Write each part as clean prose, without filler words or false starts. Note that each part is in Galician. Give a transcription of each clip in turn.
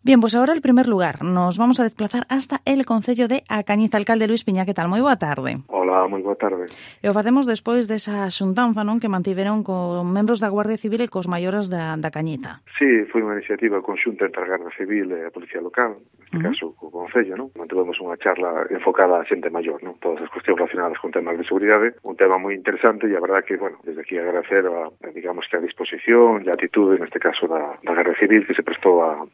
Bien, pues ahora el primer lugar. Nos vamos a desplazar hasta el concello de A Cañiza. Alcalde Luis Piña, que tal? Moi boa tarde. Hola, moi boa tarde. E o facemos despois desa xuntanza, non, que mantiveron con membros da Guardia Civil e cos maiores da Cañiza. Sí, foi unha iniciativa conxunta entre a Garda Civil e a Policía Local, neste caso o Concello, non? Mantuvemos unha charla enfocada a xente maior, non? Todas as cuestións relacionadas con temas de seguridade, un tema moi interesante e a verdad que, bueno, desde aquí agradecer digamos que a disposición e a atitude, neste caso da Garda Civil, que se prestou a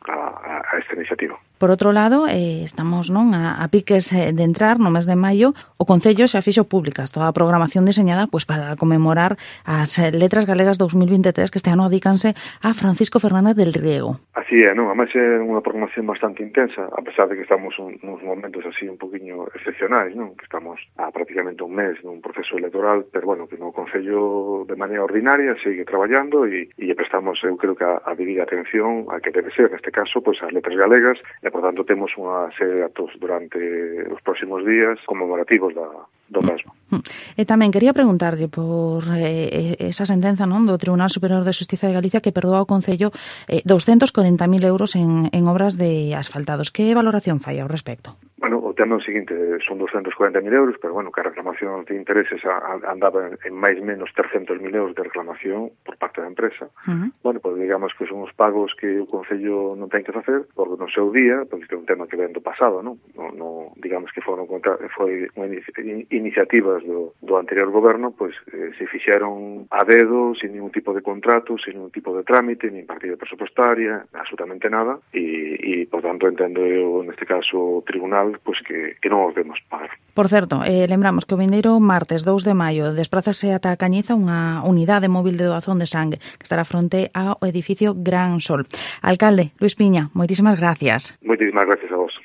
esta iniciativa. Por outro lado, estamos non a piques de entrar no mes de maio, o Concello xa fixo públicas toda a programación diseñada pues, para conmemorar as Letras Galegas 2023 que este ano adícanse a Francisco Fernández del Riego. Así é, non? Ademais é unha programación bastante intensa, a pesar de que estamos nos momentos así un poquinho excepcionais, non? Que estamos a prácticamente un mes nun proceso electoral, pero bueno, que no Concello de maneira ordinaria sigue traballando e prestamos, eu creo que a debida atención a que debe ser, neste caso, pues, as letras galegas, e por tanto temos unha serie de actos durante os próximos días conmemorativos do mesmo. E tamén quería preguntarlle por esa sentenza, non, do Tribunal Superior de Xustiza de Galicia que perdoa ao Concello 240.000 euros en obras de asfaltados. Que valoración fai ao respecto? Bueno, o tema é o seguinte, son 240.000 euros, pero bueno, que a reclamación de intereses andaba en máis menos 300.000 euros de reclamación por parte da empresa. Bueno, pues digamos que son os pagos que o Concello non ten que facer, porque no seu día, porque é un tema que ven do pasado, non? No, digamos que foi iniciativas do anterior goberno, pues se fixeron a dedo, sin ningún tipo de contrato, sin ningún tipo de trámite, nin partida presupuestaria, absolutamente nada, e por tanto entendo eu, neste caso, o tribunal, pues que non os demos pagar. Por certo, lembramos que o vindeiro martes 2 de maio desprázase ata a Cañiza unha unidade móvil de doazón de sangue que estará fronte ao edificio Gran Sol. Alcalde Luis Piña, moitísimas gracias. Moitísimas gracias a vos.